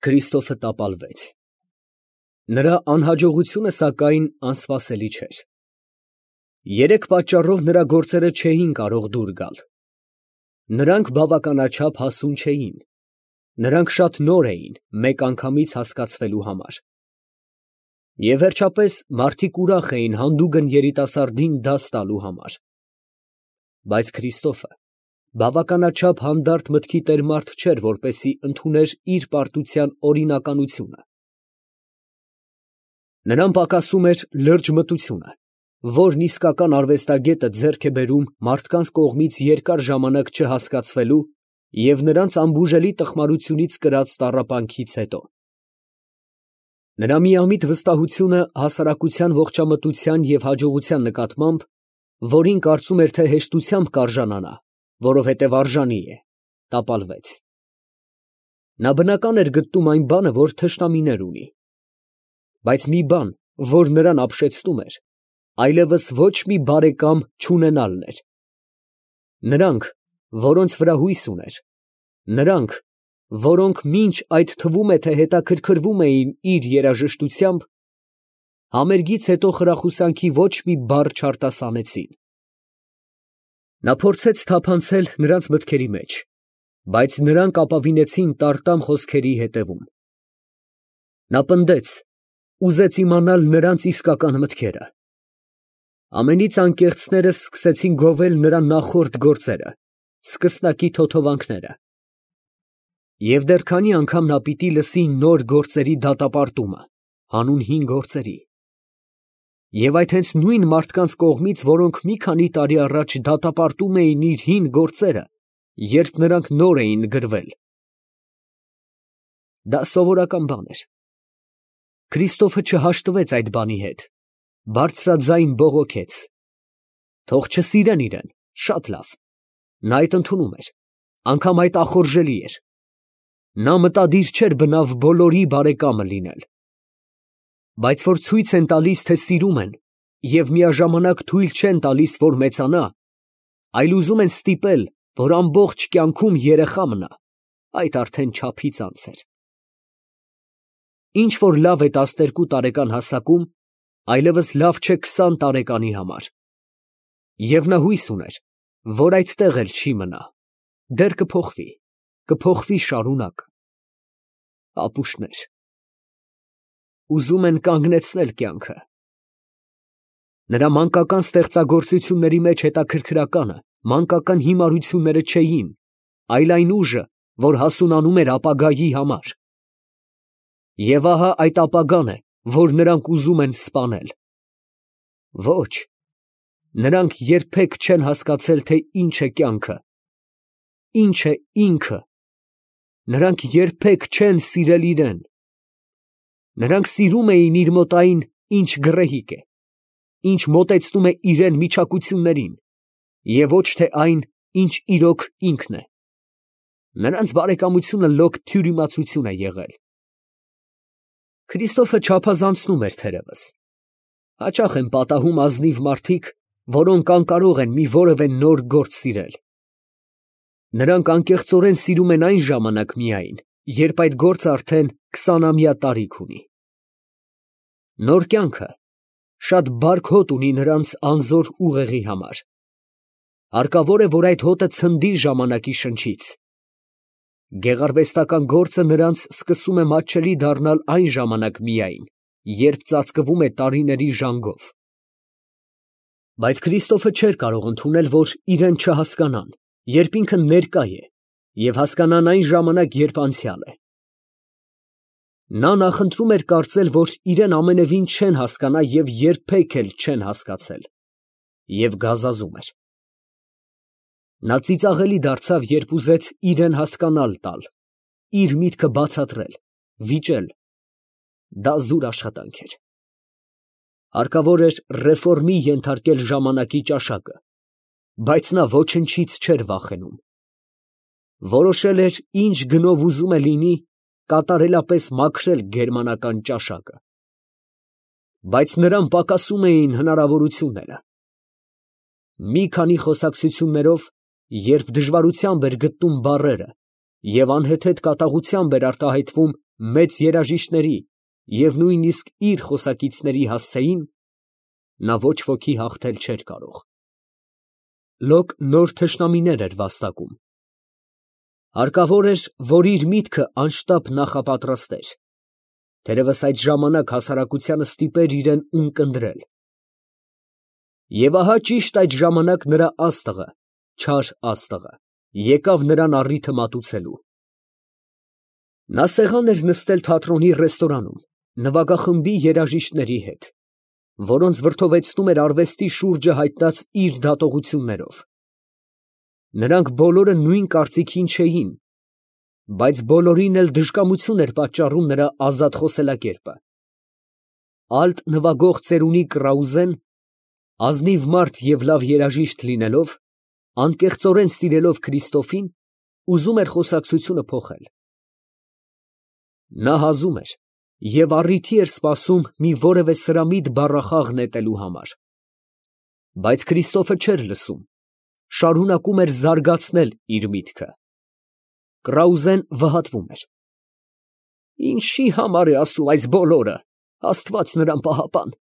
Քրիստոֆը տապալվեց։ Նրա անհաջողությունը, սակայն, անսպասելի չէր։ Երեք պատճառով նրա գործերը չէին կարող դուր գալ. նրանք բավականաչափ հասուն չէին, նրանք շատ նոր էին մեկ անգամից հասկացվելու համար, և վերջապես մարդիկ ուրախ էին հանդուգն երիտասարդին դաս տալու համար։ Բայց Քրիստոֆը բավականաչափ հանդարտ մտքի տեր մարդ չէր, որպեսզի ընդուներ իր պարտության օրինականությունը։ Նրան պակասում էր լրջմտությունը, որն իսկական արվեստագետը ձեռք է բերում մարդկանց կողմից երկար ժամանակ չհասկացվելու և նրանց անբուժելի տխմարությունից կրած տառապանքից հետո։ Նրա միամիտ վստահությունը հասարակության ողջամտության և հաջողության նկատմամբ, որին կարծում էր, թե հեշտությամբ կարժանանա, որովհետև արժանի է, տապալվեց։ Նա բնական էր գտնում այն բանը, որ թշնամիներ ունի։ Բայց մի բան, որ նրան ապշեցնում էր, այլևս ոչ մի բարեկամ չունենալն էր։ Նրանք, որոնց վրա հույս ուներ, նրանք, որոնք մինչ այդ թվում է, թե հետաքրքրվում էին իր երաժշտությամբ, համերգից հետո խրախուսանքի ոչ մի բառ չարտասանեցին։ Նա փորձեց թափանցել նրանց մտքերի մեջ, բայց նրանք ապավինեցին տարտամ խոսքերի հետևում։ Նա պնդեց, ուզեց իմանալ նրանց իսկական մտքերը։ Ամենից անկեղծները սկսեցին գովել նրա նախորդ գործերը, սկսնակի թոթովանքները։ Եվ դեռ քանի անգամ նա պիտի լսի նոր գործերի դատապարտումը, հանուն հին գործերի։ Եվ այդ հենց նույն մարդկանց կողմից, որոնք մի քանի տարի առաջ դատապարտում էին իր հին գործերը, երբ նրանք նոր էին գրվել։ Դա սովորական բան էր։ Քրիստոֆը չհաշտվեց այդ բանի հետ, բարձրաձայն բողոքեց. թող չսիրեն իրեն, շատ լավ, նա այդ ընդունում էր, անգամ այդ ախորժելի էր։ Նա մտադիր չէր բնավ բոլորի բարեկամը լինել։ Բայց որ ցույց են տալիս, թե սիրում են, և միաժամանակ թույլ չեն տալիս, որ մեծանա, այլ ուզում են ստիպել, որ ամբողջ կյանքում երեխա մնա, այդ արդեն չափից անց էր։ Ինչ որ լավ է 12 տարեկան հասակում, այլևս լավ չէ 20 տարեկանի համար։ Եվ նա հույս ուներ, որ այդտեղ էլ չի մնա, դեռ կփոխվի շարունակ։ Ապուշտներ, ուզում են կանգնեցնել կյանքը։ Նրա մանկական ստեղծագործությունների մեջ հետաքրքրականը մանկական հիմարությունները չէին, այլ այն ուժը, որ հասունանում էր ապագայի համար։ Եվ ահա այդ ապագան է, որ նրանք ուզում են սպանել։ Ոչ, նրանք երբեք չեն հասկացել, թե ինչ է կյանքը, ինչ է ինքը։ Նրանք երբեք չեն սիրել իրեն։ Նրանք սիրում էին իր մոտ այն, ինչ գռեհիկ է, ինչ մոտեցնում է իրեն միջակություններին, և ոչ թե այն, ինչ իրոք ինքն է։ Նրանց բարեկամությունը լոկ թյուրիմացություն է եղել։ Քրիստոֆը չափազանցնում էր թերևս։ Հաճախ են պատահում ազնիվ մարդիկ, որոնք անկարող են մի որևէ նոր գործ սիրել։ Նրանք անկեղծորեն սիրում են այն ժամանակ միայն, երբ այդ գործը արդեն 20-ամյա տարիք ունի։ Նոր կյանքը շատ բարդ հոտ ունի նրանց անզոր ուղեղի համար։ Հարկավոր է, որ այդ հոտը ցնդի ժամանակի շնչից։ Գեղարվեստական գործը նրանց սկսում է մատչելի դառնալ այն ժամանակ միայն, երբ ծածկվում է տարիների ժանգով։ Բայց Քրիստոֆը չէր կարող ընդունել, որ իրեն չհասկանան, երբ ինքը ներկա է, և հասկանան այն ժամանակ, երբ անցյալ է։ Նա նախընտրում էր կարծել, որ իրեն ամենևին չեն հասկանա և երբեք էլ չեն հասկացել, և գազազում էր։ Նա ծիծաղելի դարձավ, երբ ուզեց իրեն հասկանալ տալ, իր միտքը բացատրել, վիճել։ Դա զուր աշխատանք էր։ Հարկավոր էր ռեֆորմի ենթարկել ժամանակի ճաշակը, բայց նա ոչնչից չէր վախենում։ Որոշել էր, ինչ գնով ուզում է լինի, կատարելապես մաքրել գերմանական ճաշակը։ Բայց նրան պակասում էին հնարավորությունները։ Մի քանի խոսակցություններով, երբ դժվարությամբ էր գտնում բառերը և անհեթեթ կատաղությամբ էր արտահայտվում մեծ երաժիշտների և նույնիսկ իր խոսակիցների հասցեին, նա ոչ ոքի հաղթել չէր կարող։ Լոկ նոր թշնամիներ էր վաստակում։ Հարկավոր էր, որ իր միտքը անշտապ նախապատրաստեր, թերևս այդ ժամանակ հասարակությանը ստիպեր իրեն ունկնդրել։ Եվ ահա ճիշտ այդ ժամանակ նրա աստղը, չար աստղը, եկավ նրան առիթը մատուցելու։ Նա սեղան էր նստել թատրոնի ռեստորանում, նվագախմբի երաժիշտների հետ, որոնց վրդովեցնում էր արվեստի շուրջը հայտնած իր դատողություններով։ Նրանք բոլորը նույն կարծիքին չէին, բայց բոլորին էլ դժկամություն էր պատճառում նրա ազատ խոսելակերպը։ Ալտ նվագող ծերունի Կրաուզեն, ազնիվ մարդ և լավ երաժիշտ լինելով, անկեղծորեն սիրելով Քրիստոֆին, ուզում էր խոսակցությունը փոխել։ Նա հազում էր և առիթի էր սպասում մի որևէ սրամիտ բառախաղ նետելու համար։ Բայց Քրիստոֆը չէր լսում, շարունակում էր զարգացնել իր միտքը։ Կրաուզեն վհատվում էր։ Ինչի համար է ասում այս բոլորը, Աստված նրան պահապան։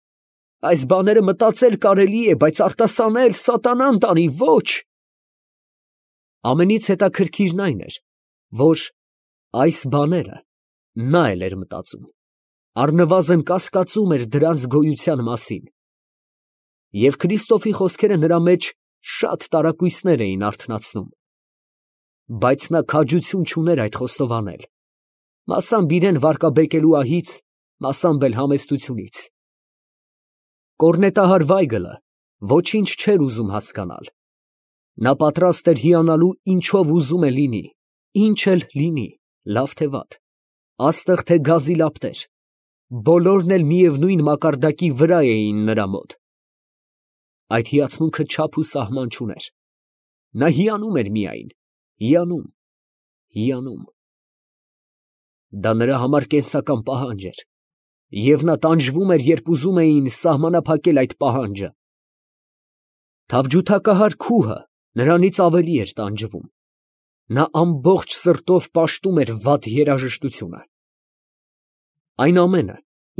Այս բաները մտածել կարելի է, բայց արտասանել սատանան տանի, ոչ։ Ամենից հետաքրքիրն այն էր, որ այս բաները նա էլ էր մտածում, առնվազն կասկածում էր դրանց գոյության մասին։ Եվ Քրիստոֆի խոսքերը նրա մեջ շատ տարակույսներ էին արթնացնում։ Բայց նա քաջություն չուներ այդ խոստովանել, մասամբ իրեն վարկաբեկելու ահից, մասամբ էլ համեստությունից։ Կորնետահար Վայգլը ոչինչ չէր ուզում հասկանալ։ Նա պատրաստ էր հիանալու ինչով ուզում է լինի, ինչ էլ լինի, լավ թե վատ, աստղ թե գազի լապտեր, բոլորն էլ միևնույն մակարդակի վրա էին նրա մոտ։ Այդ հիացմունքը չափ ու սահման չուներ։ Նա հիանում էր միայն, հիանում, հիանում։ Դա նրա համար կենսական պահանջ էր, և նա տանջվում էր, երբ ուզում էին սահմանափակել այդ պահանջը։ Թավջութակահար քուհը նրանից ավելի էր տանջվում։ Նա ամբողջ սրտով պաշտում էր վատ երաժշտությունը։ Այն ամենը,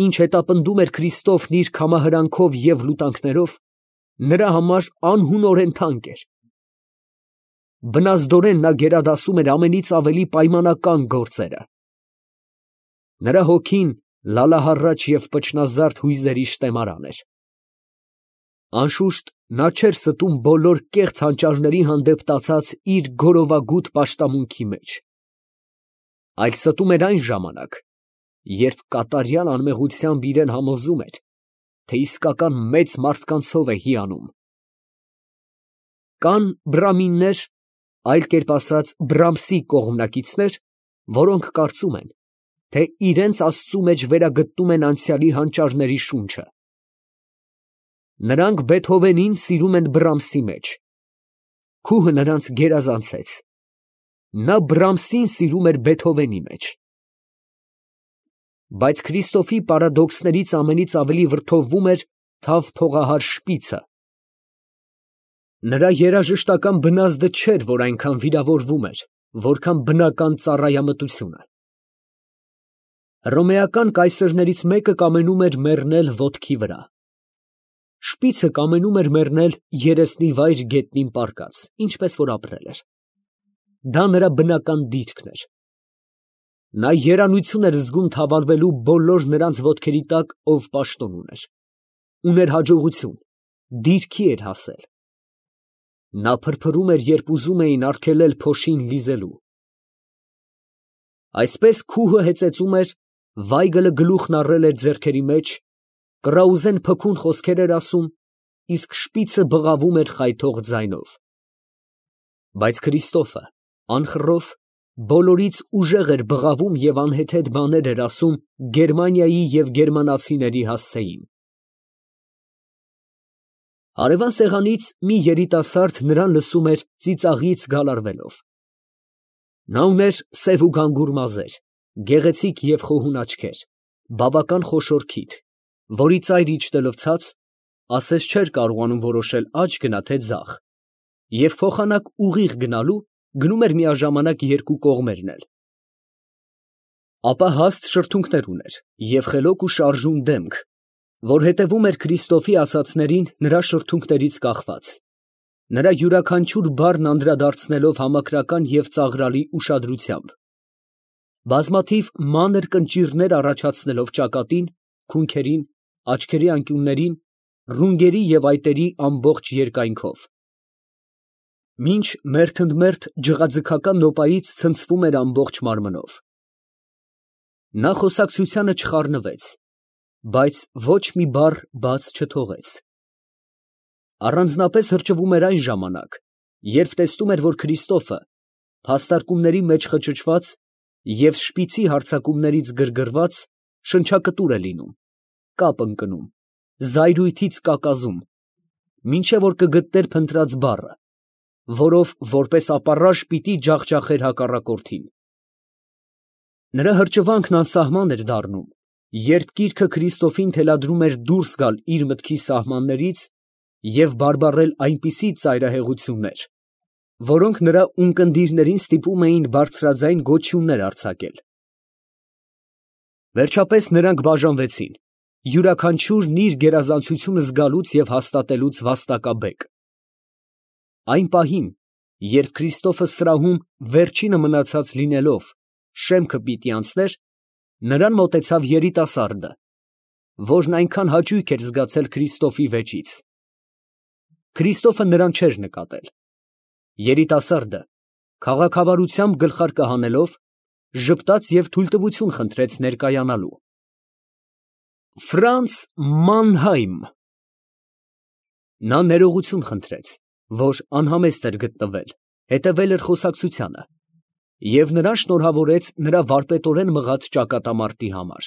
ինչ հետապնդում էր Քրիստոֆն իր քամահրանքով և լուտանքներով, նրա համար անհունորեն թանկ էր։ Բնազդորեն նա գերադասում էր ամենից ավելի պայմանական գործերը։ Նրա հոգին լալահառաչ և պչնազարդ հույզերի շտեմարան էր։ Անշուշտ, նա չէր ստում բոլոր կեղծ հանճարների հանդեպ տածած իր գորովագութ պաշտամունքի մեջ, այլ ստում էր այն ժամանակ, երբ կատարյալ անմեղությամբ իրեն համոզում էր, թե իսկական մեծ մարդկանցով է հիանում։ Կան բրամիններ, այլ կերպ ասած Բրամսի կողմնակիցներ, որոնք կարծում են, թե իրենց Աստծու մեջ վերագտնում են անցյալի հանճարների շունչը։ Նրանք Բեթհովենին սիրում են Բրամսի մեջ։ Քուհը նրանց գերազանցեց։ Նա Բրամսին սիրում էր Բեթհովենի մեջ։ Բայց Քրիստոֆի պարադոքսներից ամենից ավելի վրդովվում էր թավ փողահար Շպիցը։ Նրա երաժշտական բնազդը չէր, որ այնքան վիրավորվում էր, որքան բնական ծառայամտությունը։ Հռոմեական կայսրներից մեկը կամենում էր մեռնել ոտքի վրա։ Շպիցը կամենում էր մեռնել երեսնի վայր գետնին պառկած, ինչպես որ ապրել էր։ Դա նրա բնական դիրքն էր։ Նա երանություն էր զգում թավալվելու բոլոր նրանց ոտքերի տակ, ով պաշտոն ուներ։ Ուներ հաջողություն, դիրքի էր հասել։ Նա փրփրում էր, երբ ուզում էին արգելել փոշին լիզելու։ Այսպես քուհը հեծեծում էր, Վայգլը գլուխն առել էր ձեռքերի մեջ, Կրաուզեն փքուն խոսքեր էր ասում, իսկ Շպիցը բղավում էր խայթող ձայնով։ Բայց Քրիստոֆը, անխռով, բոլորից ուժեղ էր բղավում և անհեթեթ բաներ էր ասում Գերմանիայի և գերմանացիների հասցեին։ Հարևան սեղանից մի երիտասարդ նրան լսում էր ծիծաղից գալարվելով։ Նա ուներ սև ու գանգուր մազեր, գեղեցիկ և խոհուն աչքեր, բավական խոշոր քիթ, որի ծայր իջնելով ցած, ասես չէր կարողանում որոշել աջ գնա թե ձախ, և փոխանակ ուղիղ գնալու գնում էր միաժամանակ երկու կողմերն էլ։ Ապա հաստ շրթունքներ ուներ և խելոք ու շարժուն դեմք, որ հետևում էր Քրիստոֆի ասածներին նրա շրթունքներից կախված, նրա յուրաքանչյուր բառն անդրադարձնելով համակրական և ծաղրալի ուշադրությամբ, բազմաթիվ մանր կնճիռներ առաջացնելով ճակատին, քունքերին, աչքերի անկյուններին, ռունգերի և այտերի ամբողջ երկայնքով, մինչ մերթ ընդ մերթ ջղաձգական նոպայից ցնցվում էր ամբողջ մարմնով։ Նա խոսակցությանը չխառնվեց, բայց ոչ մի բառ բաց չթողեց։ Առանձնապես հրճվում էր այն ժամանակ, երբ տեսնում էր, որ Քրիստոֆը, փաստարկումների մեջ խճճված և շպիցի հարձակումներից գրգռված, շնչակտուր է լինում, կապ ընկնում, զայրույթից կակազում, մինչև որ կգտներ փնտրած բառը, որով որպես ապառաժ պիտի ջախջախեր հակառակորդին։ Նրա հրճվանքն անսահման էր դառնում, երբ գիրքը Քրիստոֆին թելադրում էր դուրս գալ իր մտքի սահմաններից և բարբառել այնպիսի ծայրահեղություններ, որոնք նրա ունկնդիրներին ստիպում էին բարձրաձայն գոչյուններ արձակել։ Վերջապես նրանք բաժանվեցին, յուրաքանչյուրն իր գերազանցությունը զգալուց և հաստատելուց վաստակաբեկ։ Այն պահին, երբ Քրիստոֆը սրահում վերջինը մնացած լինելով, շեմքը պիտի անցներ, նրան մոտեցավ երիտասարդը, որն այնքան հաճույք էր զգացել Քրիստոֆի վեճից։ Քրիստոֆը նրան չէր նկատել։ Երիտասարդը, քաղաքավարությամբ գլխարկը հանելով, ժպտաց և թույլտվություն խնդրեց ներկայանալու։ Ֆրանց Մանհայմ։ Նա ներողություն խնդրեց, որ անհամեստ էր գտնվել, հետևել էր խոսակցությանը, և նրան շնորհավորեց նրա վարպետորեն մղած ճակատամարտի համար,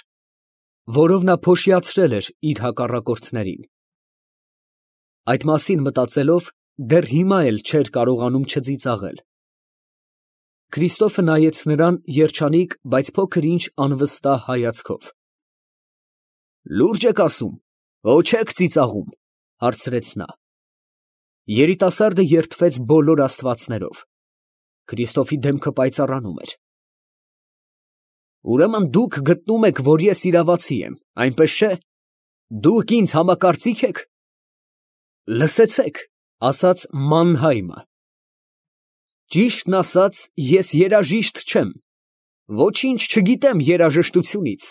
որով նա փոշիացրել էր իր հակառակորդներին։ Այդ մասին մտածելով, դեռ հիմա էլ չէր կարողանում չծիծաղել։ Քրիստոֆը նայեց նրան երջանիկ, բայց փոքր-ինչ անվստահ հայացքով։ Լուրջ եք ասում, ո չեք ծիծաղում, հարցրեց նա։ Երիտասարդը երդվեց բոլոր աստվածներով։ Քրիստոֆի դեմքը պայծառանում էր։ Ուրեմն դուք գտնում եք, որ ես իրավացի եմ, այնպես չէ՞։ Դուք ինձ համակարծիք եք։ Լսեցեք, ասաց Մանհայմը։ Ճիշտն ասած, ես երաժիշտ չեմ, ոչինչ չգիտեմ երաժշտությունից։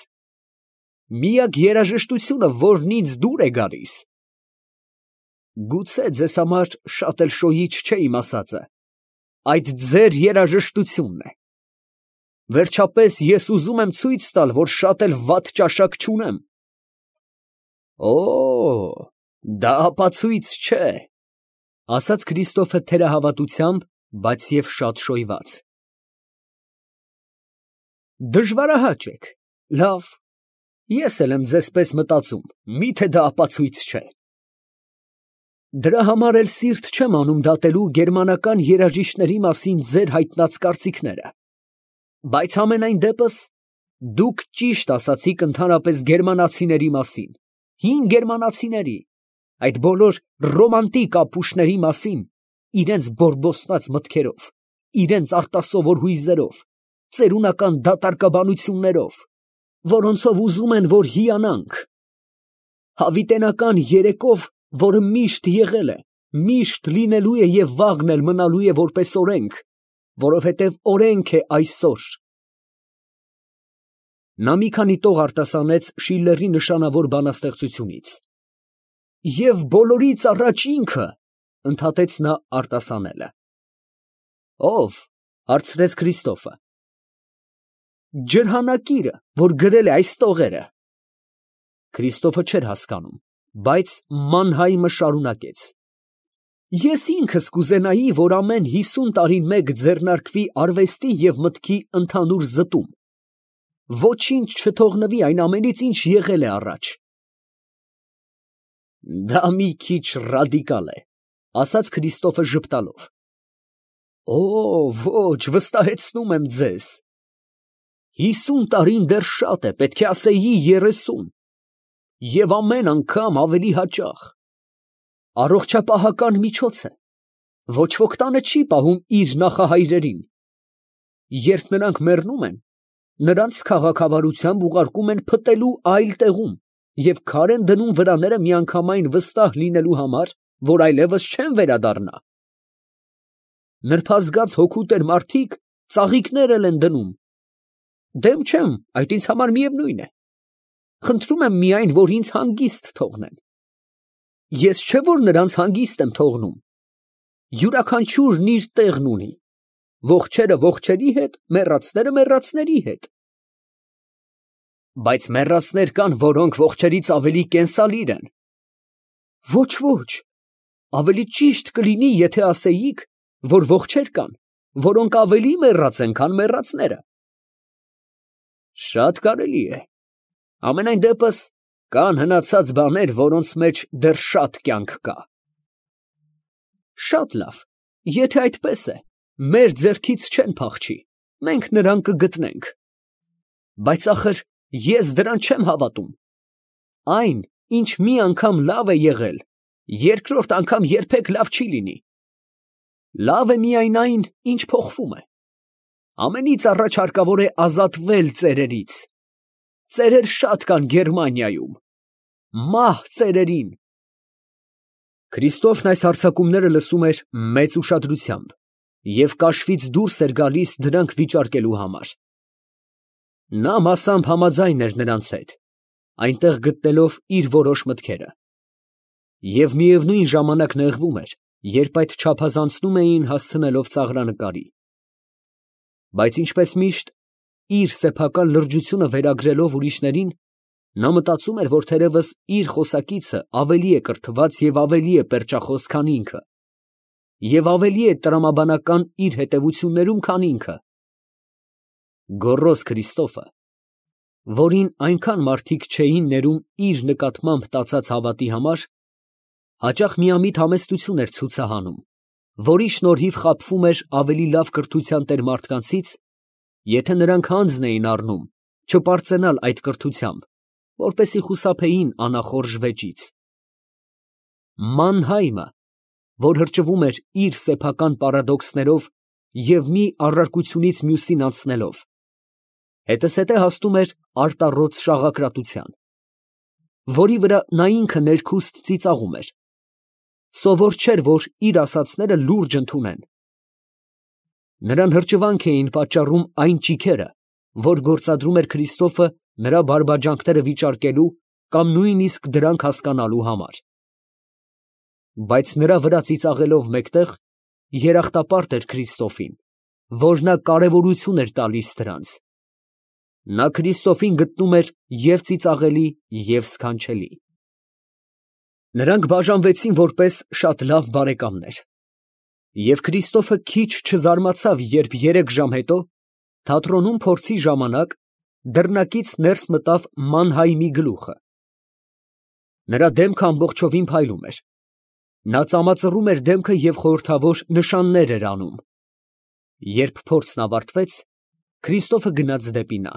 Միակ երաժշտությունը, որն ինձ դուր է գալիս։ Գուցե ձեզ համար շատ էլ շոյիչ չէ իմ ասածը, այդ ձեր երաժշտությունն է։ Վերջապես ես ուզում եմ ցույց տալ, որ շատ էլ վատ ճաշակ չունեմ։ Օ, դա ապացույց չէ, ասաց Քրիստոֆը թերահավատությամբ, բայց և շատ շոյված։ Դժվարահաճ եք, լավ, ես էլ եմ ձեզպես մտածում, միթե դա ապացույց չէ։ Դրա համար էլ սիրտ չեմ անում դատելու գերմանական երաժիշտների մասին ձեր հայտնած կարծիքները, բայց համենայն դեպս դուք ճիշտ ասացիք ընդհանրապես գերմանացիների մասին, հին գերմանացիների, այդ բոլոր ռոմանտիկ ապուշների մասին, իրենց բորբոստած մտքերով, իրենց արտասովոր հույզերով, ծերունական դատարկաբանություններով, որոնցով ուզում են, որ հիանանք։ Հավիտենական երեկով, որը միշտ եղել է, միշտ լինելու է և վաղն էլ մնալու է որպես օրենք, որովհետև օրենք է այսօր։ Նա մի քանի տող արտասանեց Շիլլերի նշանավոր բանաստեղծությունից։ Եվ բոլորից առաջ ինքը, ընդհատեց նա արտասանելը։ Ո՞վ, հարցրեց Քրիստոֆը։ Ջրհանակիրը, որ գրել է այս տողերը։ Քրիստոֆը չէր հասկանում, բայց Մանհայմը շարունակեց. Ես ինքս կուզենայի, որ ամեն 50 տարին մեկ ձեռնարկվի արվեստի և մտքի ընդհանուր զտում, ոչինչ չթողնվի այն ամենից, ինչ եղել է առաջ։ Դա մի քիչ ռադիկալ է, ասաց Քրիստոֆը ժպտալով։ Օ, ոչ, վստահեցնում եմ ձեզ։ 50 տարին դեռ շատ է, պետք է ասեի 30, և ամեն անգամ ավելի հաճախ։ Առողջապահական միջոց է, ոչ ոք տանը չի պահում իր նախահայրերին։ Երբ նրանք մեռնում են, նրանց քաղաքավարությամբ ուղարկում են փտելու այլ տեղում և քար են դնում վրաները միանգամայն վստահ լինելու համար, որ այլևս չեն վերադառնա։ Նրբազգաց հոգուտեր մարդիկ ծաղիկներ են դնում։ Դեմ չեմ, այդ ինձ համար միևնույն է։ Խնդրում եմ միայն, որ ինձ հանգիստ թողնեն։ Ես չէ որ նրանց հանգիստ եմ թողնում։ Յուրաքանչյուրն իր տեղն ունի։ Ողջերը ողջերի հետ, մեռածները մեռածների հետ։ Բայց մեռածներ կան, որոնք ողջերից ավելի կենսալիր են։ Ոչ, ոչ, ավելի ճիշտ կլինի, եթե ասեիք, որ ողջեր կան, որոնք ավելի մեռած են, քան մեռածները։ Շատ կարելի է։ Ամենայն դեպս կան հնացած բաներ, որոնց մեջ դեռ շատ կյանք կա։ Շատ լավ, եթե այդպես է, մեր ձեռքից չեն փախչի, մենք նրան կգտնենք։ Բայց ախր ես դրան չեմ հավատում։ Այն, ինչ մի անգամ լավ է եղել, երկրորդ անգամ երբեք լավ չի լինի։ Լավ է միայն այն, ինչ փոխվում է։ Ամենից առաջ հարկավոր է ազատվել ծերերից։ Ծերեր շատ կան Գերմանիայում։ Մահ ծերերին։ Քրիստոֆն այս հարձակումները լսում էր մեծ ուշադրությամբ և կաշվից դուրս էր գալիս դրանք վիճարկելու համար։ Նա մասամբ համաձայն էր նրանց հետ, այնտեղ գտնելով իր որոշ մտքերը։ Եվ միևնույն ժամանակ նեղվում էր, երբ այդ չափազանցնում էին հասցնելով ծաղրանկարի։ Բայց ինչպես միշտ, իր սեփական լրջությունը վերագրելով ուրիշներին, նա մտածում էր, որ թերևս իր խոսակիցը ավելի է կրթված և ավելի է պերճախոս, քան ինքը, և ավելի է տրամաբանական իր հետևություններում, քան ինքը։ Գոռոզ Քրիստոֆը, որին այնքան մարդիկ չէին ներում իր նկատմամբ տածած հավատի համար, հաճախ միամիտ համեստություն էր ցուցահանում, որի շնորհիվ խաբվում էր ավելի լավ կրթության տեր մարդկանցից, եթե նրանք հանձն էին առնում չպարծենալ այդ կրթությամբ, որպեսզի խուսափեին անախորժ վեճից։ Մանհայմը, որ հրճվում էր իր սեփական պարադոքսներով և մի առարկությունից մյուսին անցնելով, հետզհետե հասնում էր արտառոց շաղակրատության, որի վրա նա ինքը ներքուստ ծիծաղում էր, սովոր չէր, որ իր ասածները լուրջ ընդունեն։ Նրան հրճվանք էին պատճառում այն ճիգերը, որ գործադրում էր Քրիստոֆը նրա բարբաջանքները վիճարկելու կամ նույնիսկ դրանք հասկանալու համար։ Բայց նրա վրա ծիծաղելով մեկտեղ, երախտապարտ էր Քրիստոֆին, որ նա կարևորություն էր տալիս դրանց։ Նա Քրիստոֆին գտնում էր և ծիծաղելի, և սքանչելի։ Նրանք բաժանվեցին որպես շատ լավ բարեկամներ։ Եվ Քրիստոֆը քիչ չզարմացավ, երբ 3 ժամ հետո, թատրոնում փորձի ժամանակ, դռնակից ներս մտավ Մանհայմի գլուխը։ Նրա դեմքը ամբողջովին փայլում էր։ Նա ծամածռում էր դեմքը և խորհրդավոր նշաններ էր անում։ Երբ փորձն ավարտվեց, Քրիստոֆը գնաց դեպի նա։